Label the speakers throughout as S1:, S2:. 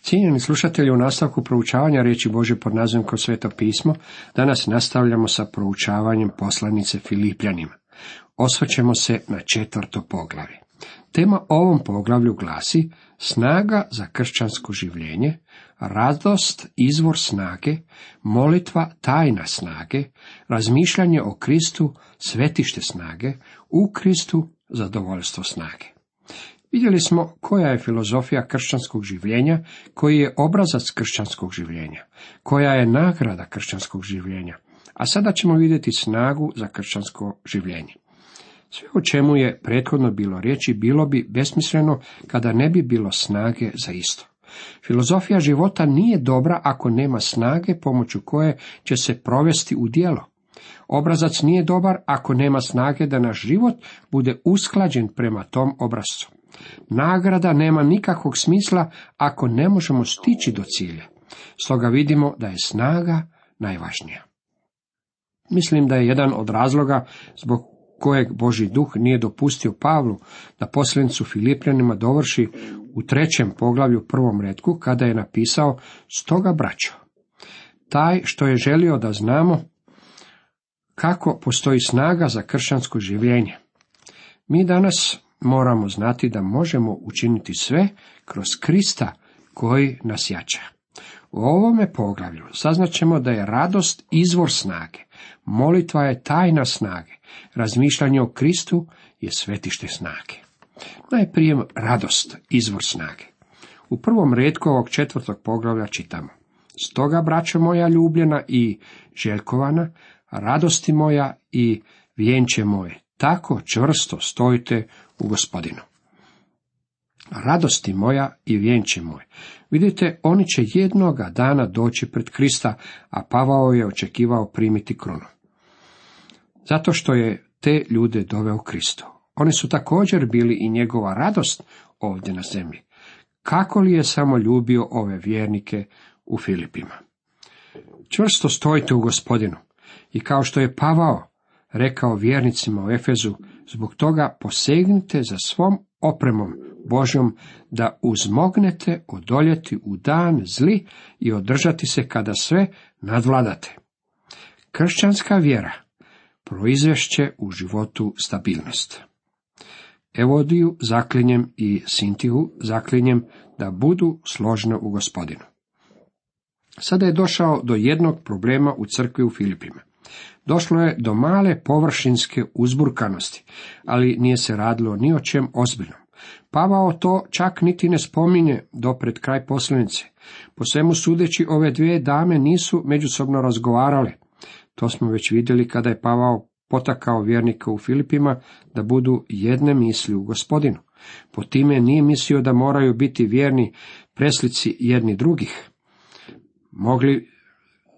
S1: Cijenjeni slušatelji, u nastavku proučavanja riječi Božje pod nazivom Kroz Sveto pismo, danas nastavljamo sa proučavanjem poslanice Filipljanima. Osvrćemo se na 4. poglavlje. Tema ovom poglavlju glasi: snaga za kršćansko življenje, radost izvor snage, molitva tajna snage, razmišljanje o Kristu svetište snage, u Kristu zadovoljstvo snage. Vidjeli smo koja je filozofija kršćanskog življenja, koji je obrazac kršćanskog življenja, koja je nagrada kršćanskog življenja, a sada ćemo vidjeti snagu za kršćansko življenje. Sve o čemu je prethodno bilo riječi bilo bi besmisleno kada ne bi bilo snage za isto. Filozofija života nije dobra ako nema snage pomoću koje će se provesti u djelo. Obrazac nije dobar ako nema snage da naš život bude usklađen prema tom obrazcu. Nagrada nema nikakvog smisla ako ne možemo stići do cilja. Stoga vidimo da je snaga najvažnija. Mislim da je jedan od razloga zbog kojeg Božji duh nije dopustio Pavlu da poslanicu Filipljanima dovrši u 3. poglavlju 1. retku, kada je napisao: stoga braćo, taj što je želio da znamo kako postoji snaga za kršćansko življenje. Mi danas moramo znati da možemo učiniti sve kroz Krista koji nas jača. U ovome poglavlju saznaćemo da je radost izvor snage, molitva je tajna snage, razmišljanje o Kristu je svetište snage. Najprije radost, izvor snage. U 1. retku ovog 4. poglavlja čitamo: stoga, braćo moja ljubljena i željkovana, radosti moja i vjenče moje, tako čvrsto stojite u Gospodinu. Radosti moja i vjenče moje. Vidite, oni će jednoga dana doći pred Krista, a Pavao je očekivao primiti krunu. Zato što je te ljude doveo Kristu. Oni su također bili i njegova radost ovdje na zemlji. Kako li je samo ljubio ove vjernike u Filipima. Čvrsto stojite u Gospodinu. I kao što je Pavao rekao vjernicima u Efezu, zbog toga posegnite za svom opremom Božjom, da uzmognete odoljeti u dan zli i održati se kada sve nadvladate. Kršćanska vjera proizvešće u životu stabilnost. Evodiju zaklinjem i Sintiju zaklinjem da budu složne u Gospodinu. Sada je došao do jednog problema u crkvi u Filipima. Došlo je do male površinske uzburkanosti, ali nije se radilo ni o čem ozbiljnom. Pavao to čak niti ne spominje do pred kraj poslanice. Po svemu sudeći, ove dvije dame nisu međusobno razgovarale. To smo već vidjeli kada je Pavao potakao vjernike u Filipima da budu jedne misli u Gospodinu. Po time nije mislio da moraju biti vjerni preslici jedni drugih. Mogli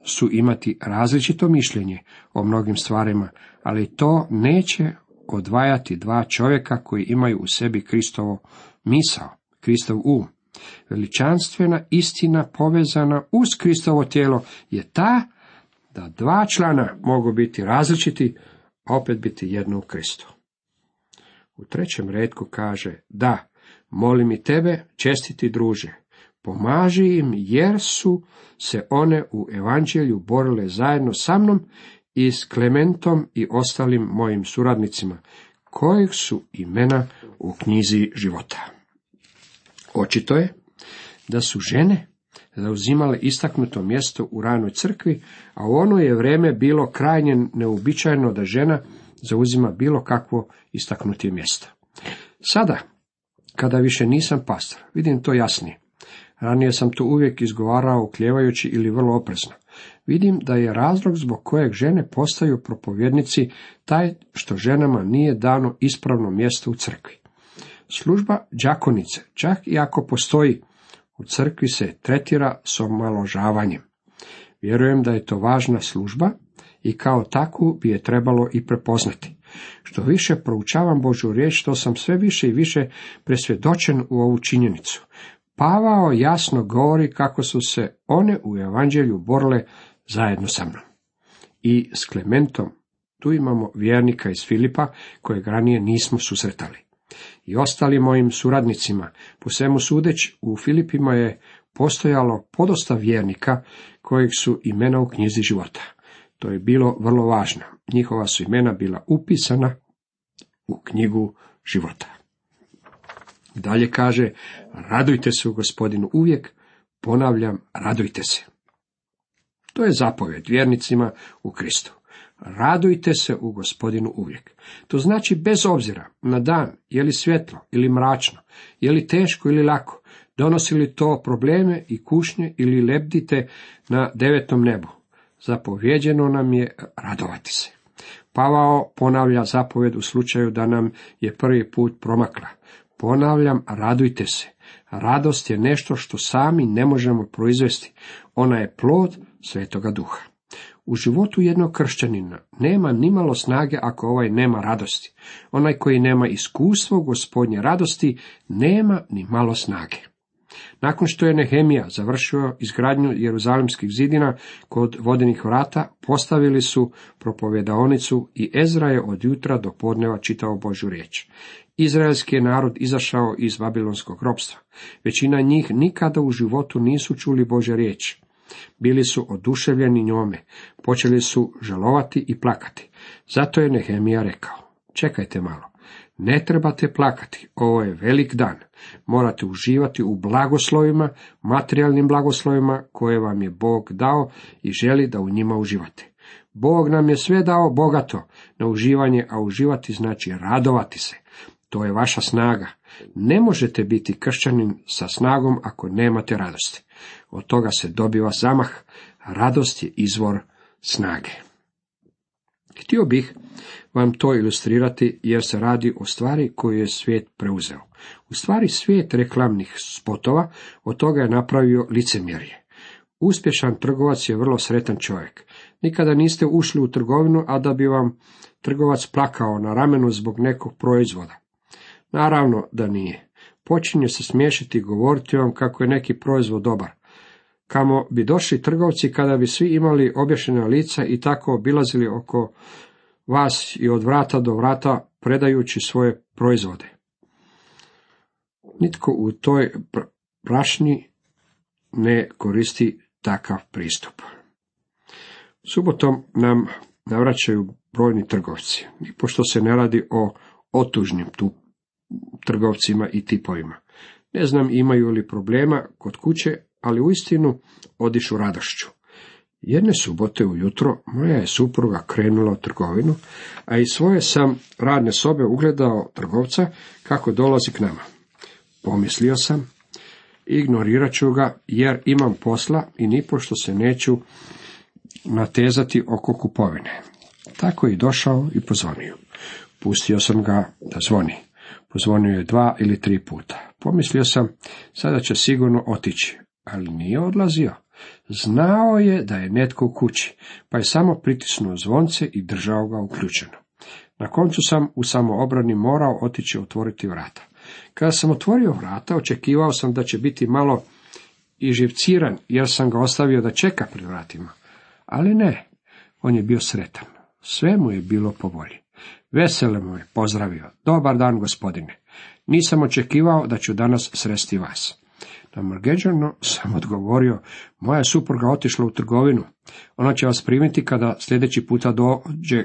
S1: su imati različito mišljenje o mnogim stvarima, ali to neće odvajati dva čovjeka koji imaju u sebi Kristovo misao, Kristov Veličanstvena istina povezana uz Kristovo tijelo je ta da dva člana mogu biti različiti, a opet biti jedno u Kristu. U 3. retku kaže: da, molim i tebe, čestiti druže, pomaži im jer su se one u evanđelju borile zajedno sa mnom i s Klementom i ostalim mojim suradnicima, kojih su imena u knjizi života. Očito je da su žene zauzimale istaknuto mjesto u ranoj crkvi, a u ono je vrijeme bilo krajnje neuobičajeno da žena zauzima bilo kakvo istaknutije mjesto. Sada, kada više nisam pastor, vidim to jasnije. Ranije sam to uvijek izgovarao ukljevajući ili vrlo oprezno. Vidim da je razlog zbog kojeg žene postaju propovjednici taj što ženama nije dano ispravno mjesto u crkvi. Služba đakonice, čak i ako postoji, u crkvi se tretira s omalovažavanjem. Vjerujem da je to važna služba i kao takvu bi je trebalo i prepoznati. Što više proučavam Božju riječ, to sam sve više i više presvjedočen u ovu činjenicu. Pavao jasno govori kako su se one u evanđelju borile zajedno sa mnom. I s Klementom, tu imamo vjernika iz Filipa kojeg ranije nismo susretali. I ostalim mojim suradnicima, po svemu sudeći, u Filipima je postojalo podosta vjernika kojih su imena u knjizi života. To je bilo vrlo važno. Njihova su imena bila upisana u knjigu života. Dalje kaže, radujte se u Gospodinu uvijek, ponavljam, radujte se. To je zapovjed vjernicima u Kristu. Radujte se u Gospodinu uvijek. To znači bez obzira na dan, je li svjetlo ili mračno, je li teško ili lako, donosi li to probleme i kušnje ili lebdite na 9. nebu. Zapovjeđeno nam je radovati se. Pavao ponavlja zapovjed u slučaju da nam je prvi put promakla. Ponavljam, radujte se. Radost je nešto što sami ne možemo proizvesti. Ona je plod Svetoga Duha. U životu jednog kršćanina nema nimalo snage ako ovaj nema radosti. Onaj koji nema iskustvo Gospodnje radosti nema ni malo snage. Nakon što je Nehemija završio izgradnju Jeruzalemskih zidina kod vodenih vrata, postavili su propovjedaonicu i Ezra je od jutra do podneva čitao Božju riječ. Izraelski je narod izašao iz babilonskog ropstva. Većina njih nikada u životu nisu čuli Božje riječi. Bili su oduševljeni njome, počeli su žalovati i plakati. Zato je Nehemija rekao, čekajte malo, ne trebate plakati, ovo je velik dan. Morate uživati u blagoslovima, materijalnim blagoslovima koje vam je Bog dao i želi da u njima uživate. Bog nam je sve dao bogato na uživanje, a uživati znači radovati se. To je vaša snaga. Ne možete biti kršćanin sa snagom ako nemate radosti. Od toga se dobiva zamah. Radost je izvor snage. Htio bih vam to ilustrirati jer se radi o stvari koju je svijet preuzeo. U stvari svijet reklamnih spotova od toga je napravio licemjerje. Uspješan trgovac je vrlo sretan čovjek. Nikada niste ušli u trgovinu, a da bi vam trgovac plakao na ramenu zbog nekog proizvoda. Naravno da nije. Počinje se smiješiti i govoriti vam kako je neki proizvod dobar. Kamo bi došli trgovci kada bi svi imali obješena lica i tako obilazili oko vas i od vrata do vrata predajući svoje proizvode. Nitko u toj prašnji ne koristi takav pristup. Subotom nam navraćaju brojni trgovci, i pošto se ne radi o otužnim trgovcima i tipovima. Ne znam imaju li problema kod kuće, ali uistinu odišu radošću. Jedne subote ujutro moja je supruga krenula u trgovinu, a iz svoje sam radne sobe ugledao trgovca kako dolazi k nama. Pomislio sam, ignorirat ću ga jer imam posla i nipošto se neću natezati oko kupovine. Tako je došao i pozvonio. Pustio sam ga da zvoni. Pozvonio je 2 ili 3 puta. Pomislio sam, sada će sigurno otići, ali nije odlazio. Znao je da je netko u kući, pa je samo pritisnuo zvonce i držao ga uključeno. Na koncu sam u samoobrani morao otići otvoriti vrata. Kada sam otvorio vrata, očekivao sam da će biti malo iživciran, jer sam ga ostavio da čeka pred vratima. Ali ne, on je bio sretan. Sve mu je bilo po volji. Veselo mu je pozdravio. Dobar dan, gospodine. Nisam očekivao da ću danas sresti vas. Namrgeđano sam odgovorio, moja supruga otišla u trgovinu. Ona će vas primiti kada sljedeći puta dođe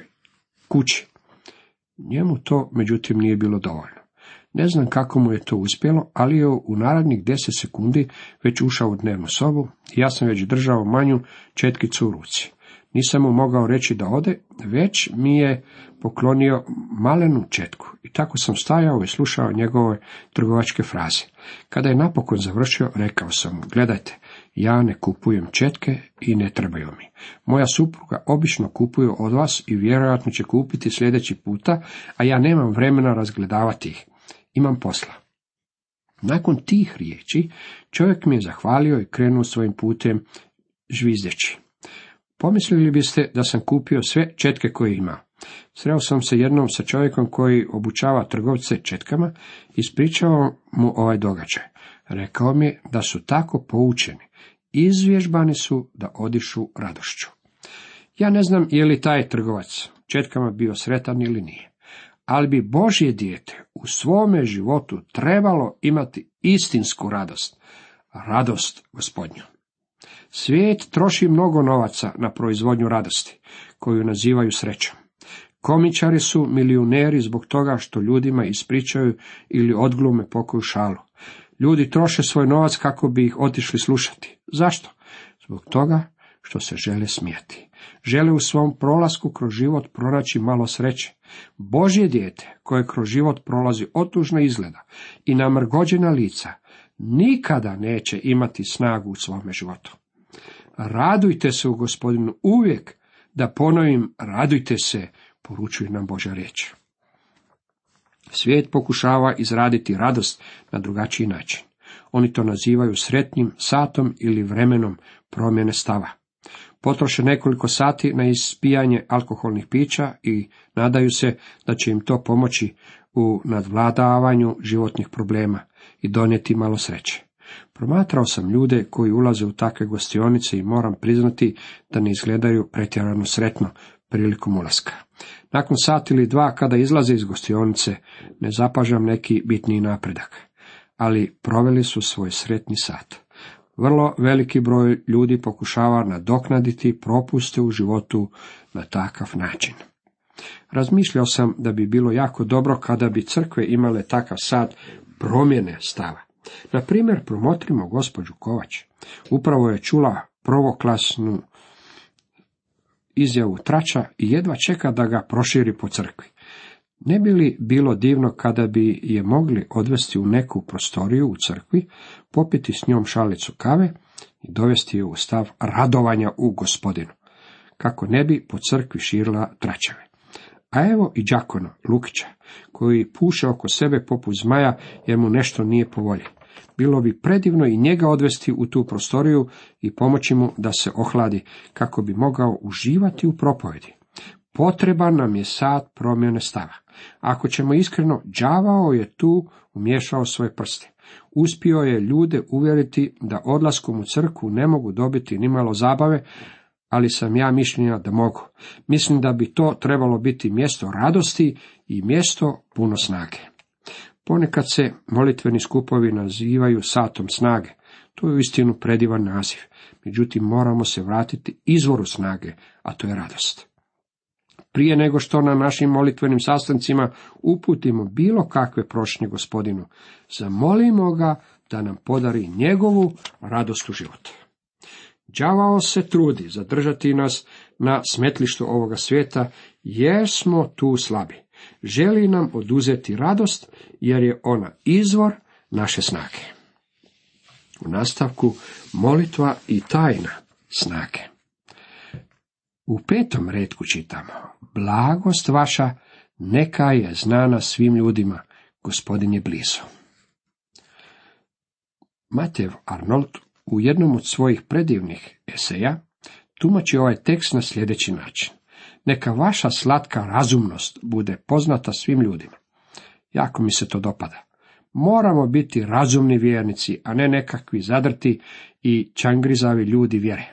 S1: kući. Njemu to, međutim, nije bilo dovoljno. Ne znam kako mu je to uspjelo, ali je u narednih 10 sekundi već ušao u dnevnu sobu i ja sam već držao manju četkicu u ruci. Nisam mu mogao reći da ode, već mi je poklonio malenu četku i tako sam stajao i slušao njegove trgovačke fraze. Kada je napokon završio, rekao sam mu, gledajte, ja ne kupujem četke i ne trebaju mi. Moja supruga obično kupuje od vas i vjerojatno će kupiti sljedeći puta, a ja nemam vremena razgledavati ih. Imam posla. Nakon tih riječi čovjek mi je zahvalio i krenuo svojim putem žvizdeći. Pomislili biste da sam kupio sve četke koje ima. Sreo sam se jednom sa čovjekom koji obučava trgovce četkama i ispričao mu ovaj događaj. Rekao mi je da su tako poučeni, izvježbani su da odišu radošću. Ja ne znam je li taj trgovac četkama bio sretan ili nije, ali bi Božje dijete u svome životu trebalo imati istinsku radost. radost Gospodnju. Svijet troši mnogo novaca na proizvodnju radosti, koju nazivaju srećom. Komičari su milijuneri zbog toga što ljudima ispričaju ili odglume pokoju šalu. Ljudi troše svoj novac kako bi ih otišli slušati. Zašto? Zbog toga što se žele smijati. Žele u svom prolasku kroz život pronaći malo sreće. Božje dijete, koje kroz život prolazi otužno izgleda i namrgođena lica, nikada neće imati snagu u svome životu. Radujte se u Gospodinu uvijek, da ponovim, radujte se, poručuje nam Božja riječ. Svijet pokušava izraditi radost na drugačiji način. Oni to nazivaju sretnim satom ili vremenom promjene stava. Potroše nekoliko sati na ispijanje alkoholnih pića i nadaju se da će im to pomoći u nadvladavanju životnih problema i donijeti malo sreće. Promatrao sam ljude koji ulaze u takve gostionice i moram priznati da ne izgledaju pretjerano sretno prilikom ulaska. Nakon sat ili dva kada izlaze iz gostionice ne zapažam neki bitniji napredak, ali proveli su svoj sretni sat. Vrlo veliki broj ljudi pokušava nadoknaditi propuste u životu na takav način. Razmišljao sam da bi bilo jako dobro kada bi crkve imale takav sat promjene stava. Na primjer, promotrimo gospođu Kovač. Upravo je čula prvoklasnu izjavu trača i jedva čeka da ga proširi po crkvi. Ne bi li bilo divno kada bi je mogli odvesti u neku prostoriju u crkvi, popiti s njom šalicu kave i dovesti je u stav radovanja u Gospodinu, kako ne bi po crkvi širila tračeve. A evo i đakona Lukića, koji puše oko sebe poput zmaja jer mu nešto nije po volji. Bilo bi predivno i njega odvesti u tu prostoriju i pomoći mu da se ohladi, kako bi mogao uživati u propovedi. Potreban nam je sat promjene stava. Ako ćemo iskreno, đavao je tu umiješao svoje prste. Uspio je ljude uvjeriti da odlaskom u crkvu ne mogu dobiti nimalo zabave, ali sam ja mišljenja da mogu. Mislim da bi to trebalo biti mjesto radosti i mjesto puno snage. Ponekad se molitveni skupovi nazivaju satom snage. To je uistinu predivan naziv. Međutim, moramo se vratiti izvoru snage, a to je radost. Prije nego što na našim molitvenim sastancima uputimo bilo kakve prošnje Gospodinu, zamolimo ga da nam podari njegovu radost u životu. Đavao se trudi zadržati nas na smetlištu ovoga svijeta, jer smo tu slabi. Želi nam oduzeti radost, jer je ona izvor naše snage. U nastavku molitva i tajna snage. U 5. retku čitamo: blagost vaša neka je znana svim ljudima, Gospodin je blizu. Matev Arnold u jednom od svojih predivnih eseja tumači ovaj tekst na sljedeći način: neka vaša slatka razumnost bude poznata svim ljudima. Jako mi se to dopada. Moramo biti razumni vjernici, a ne nekakvi zadrti i čangrizavi ljudi vjere.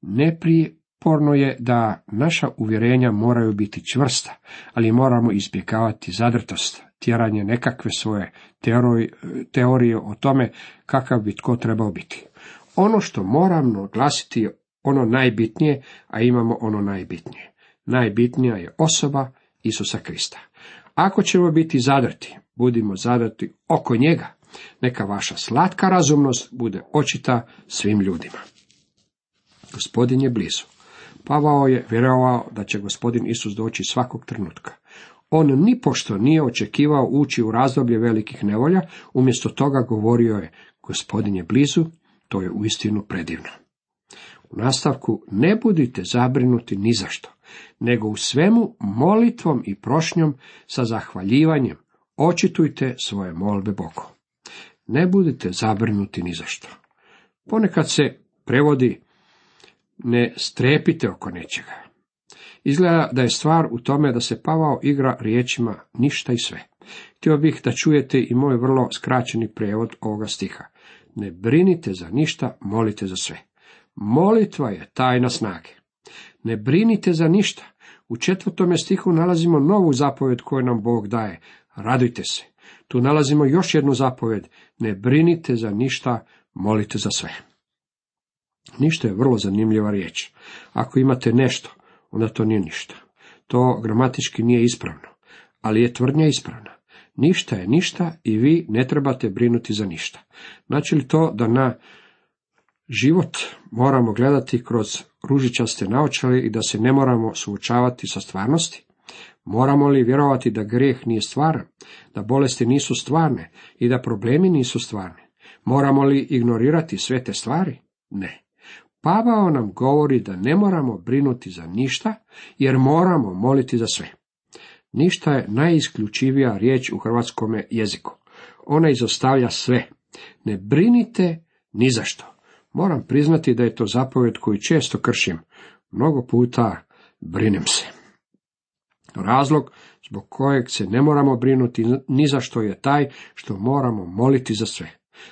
S1: Neprijeporno je da naša uvjerenja moraju biti čvrsta, ali moramo izbjegavati zadrtost, tjeranje nekakve svoje teorije o tome kakav bi tko trebao biti. Ono što moramo glasiti je ono najbitnije, a imamo ono najbitnije. Najbitnija je osoba Isusa Krista. Ako ćemo biti zadrti, budimo zadrti oko njega. Neka vaša slatka razumnost bude očita svim ljudima. Gospodin je blizu. Pavao je vjerovao da će Gospodin Isus doći svakog trenutka. On nipošto nije očekivao ući u razdoblje velikih nevolja, umjesto toga govorio je: Gospodin je blizu, to je uistinu predivno. U nastavku: ne budite zabrinuti ni za što, nego u svemu molitvom i prošnjom sa zahvaljivanjem očitujte svoje molbe Bogu. Ne budite zabrinuti ni za što. Ponekad se prevodi: ne strepite oko nečega. Izgleda da je stvar u tome da se Pavao igra riječima ništa i sve. Htio bih da čujete i moj vrlo skraćeni prijevod ovoga stiha. Ne brinite za ništa, molite za sve. Molitva je tajna snage. Ne brinite za ništa. U 4. stihu nalazimo novu zapovjed koju nam Bog daje. Radujte se. Tu nalazimo još jednu zapovjed. Ne brinite za ništa, molite za sve. Ništa je vrlo zanimljiva riječ. Ako imate nešto, onda to nije ništa. To gramatički nije ispravno, ali je tvrdnja ispravna. Ništa je ništa i vi ne trebate brinuti za ništa. Znači li to da na život moramo gledati kroz ružičaste naočale i da se ne moramo suočavati sa stvarnosti? Moramo li vjerovati da grijeh nije stvaran, da bolesti nisu stvarne i da problemi nisu stvarni? Moramo li ignorirati sve te stvari? Ne. Pavao nam govori da ne moramo brinuti za ništa, jer moramo moliti za sve. Ništa je najisključivija riječ u hrvatskome jeziku. Ona izostavlja sve. Ne brinite ni za što. Moram priznati da je to zapovjed koju često kršim. Mnogo puta brinem se. Razlog zbog kojeg se ne moramo brinuti ni za što je taj što moramo moliti za sve.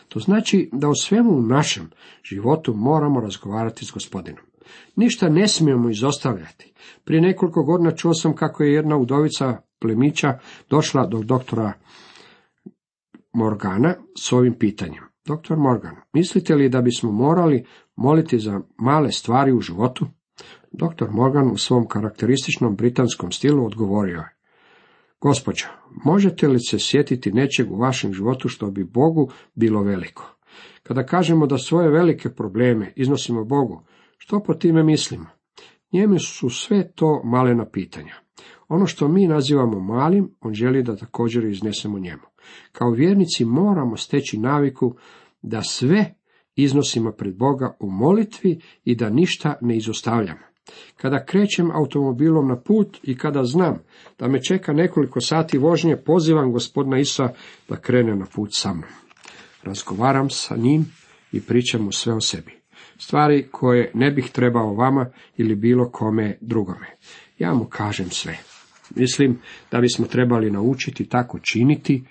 S1: To znači da o svemu u našem životu moramo razgovarati s Gospodinom. Ništa ne smijemo izostavljati. Prije nekoliko godina čuo sam kako je jedna udovica plemića došla do doktora Morgana s ovim pitanjem. Doktor Morgan, mislite li da bismo morali moliti za male stvari u životu? Doktor Morgan u svom karakterističnom britanskom stilu odgovorio je: Gospođo, možete li se sjetiti nečeg u vašem životu što bi Bogu bilo veliko? Kada kažemo da svoje velike probleme iznosimo Bogu, što po time mislimo? Njemu su sve to malena pitanja. Ono što mi nazivamo malim, on želi da također iznesemo njemu. Kao vjernici moramo steći naviku da sve iznosimo pred Boga u molitvi i da ništa ne izostavljamo. Kada krećem automobilom na put i kada znam da me čeka nekoliko sati vožnje, pozivam Gospodina Isusa da krene na put sa mnom. Razgovaram sa njim i pričam mu sve o sebi. Stvari koje ne bih trebao vama ili bilo kome drugome. Ja mu kažem sve. Mislim da bismo trebali naučiti tako činiti,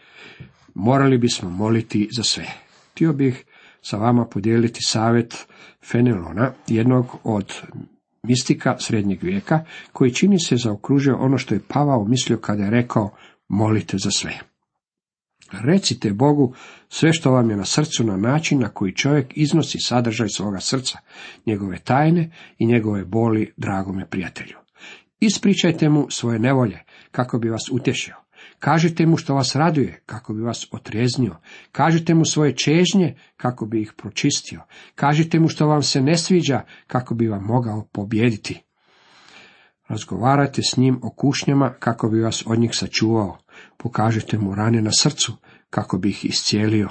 S1: morali bismo moliti za sve. Htio bih sa vama podijeliti savjet Fenelona, jednog od mistika srednjeg vijeka, koji čini se zaokružio ono što je Pavao mislio kada je rekao molite za sve. Recite Bogu sve što vam je na srcu na način na koji čovjek iznosi sadržaj svoga srca, njegove tajne i njegove boli dragome prijatelju. Ispričajte mu svoje nevolje kako bi vas utješio. Kažite mu što vas raduje kako bi vas otrijeznio. Kažite mu svoje čežnje kako bi ih pročistio. Kažite mu što vam se ne sviđa kako bi vam mogao pobijediti. Razgovarajte s njim o kušnjama kako bi vas od njih sačuvao. Pokažite mu rane na srcu kako bi ih iscijelio.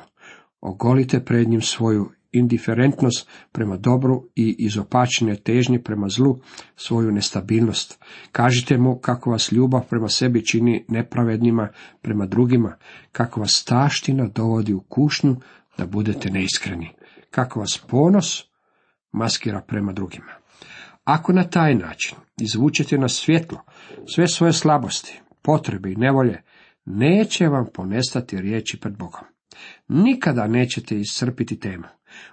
S1: Ogolite pred njim svoju indiferentnost prema dobru i izopačene težnje prema zlu, svoju nestabilnost. Kažite mu kako vas ljubav prema sebi čini nepravednima prema drugima, kako vas taština dovodi u kušnju da budete neiskreni, kako vas ponos maskira prema drugima. Ako na taj način izvučete na svjetlo sve svoje slabosti, potrebe i nevolje, neće vam ponestati riječi pred Bogom. Nikada nećete iscrpiti temu.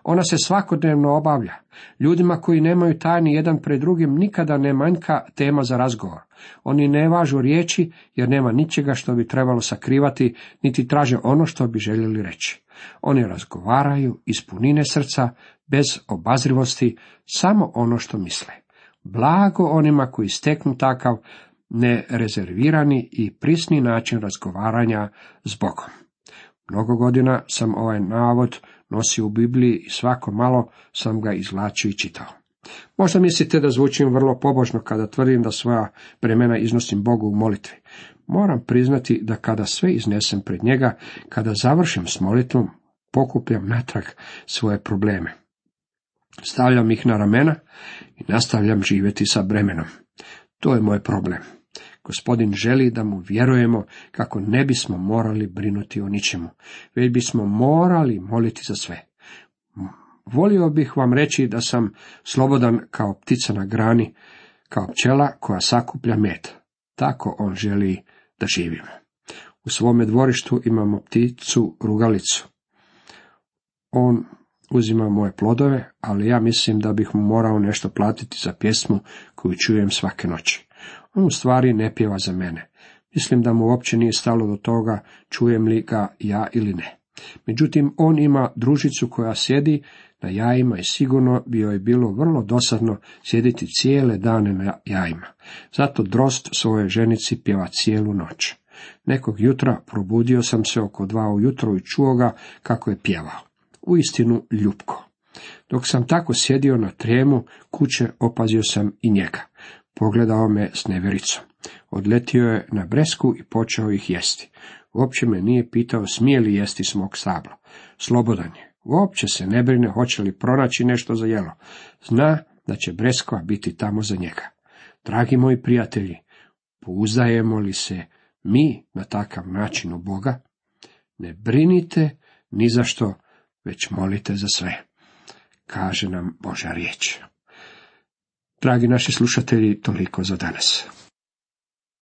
S1: Ona se svakodnevno obavlja. Ljudima koji nemaju tajni jedan pred drugim nikada ne manjka tema za razgovor. Oni ne važu riječi jer nema ničega što bi trebalo sakrivati, niti traže ono što bi željeli reći. Oni razgovaraju iz punine srca, bez obazrivosti, samo ono što misle. Blago onima koji steknu takav nerezervirani i prisni način razgovaranja s Bogom. Mnogo godina sam ovaj navod nosio u Bibliji i svako malo sam ga izvlačio i čitao. Možda mislite da zvučim vrlo pobožno kada tvrdim da svoja bremena iznosim Bogu u molitvi. Moram priznati da kada sve iznesem pred njega, kada završim s molitvom, pokupljam natrag svoje probleme. Stavljam ih na ramena i nastavljam živjeti sa bremenom. To je moj problem. Gospodin želi da mu vjerujemo kako ne bismo morali brinuti o ničemu, već bismo morali moliti za sve. Volio bih vam reći da sam slobodan kao ptica na grani, kao pčela koja sakuplja med. Tako on želi da živimo. U svome dvorištu imamo pticu rugalicu. On uzima moje plodove, ali ja mislim da bih mu morao nešto platiti za pjesmu koju čujem svake noći. On u stvari ne pjeva za mene. Mislim da mu uopće nije stalo do toga čujem li ga ja ili ne. Međutim, on ima družicu koja sjedi na jajima i sigurno bi joj bilo vrlo dosadno sjediti cijele dane na jajima. Zato Drozd svojoj ženici pjeva cijelu noć. Nekog jutra probudio sam se oko 2 ujutro i čuo ga kako je pjevao. Uistinu ljupko. Dok sam tako sjedio na trijemu kuće, opazio sam i njega. Pogledao me s nevjericom. Odletio je na bresku i počeo ih jesti. Uopće me nije pitao smije li jesti s mog stabla. Slobodan je. Uopće se ne brine hoće li pronaći nešto za jelo. Zna da će breskva biti tamo za njega. Dragi moji prijatelji, pouzdajemo li se mi na takav način u Boga? Ne brinite ni za što, već molite za sve, kaže nam Božja riječ. Dragi naši slušatelji, toliko za danas.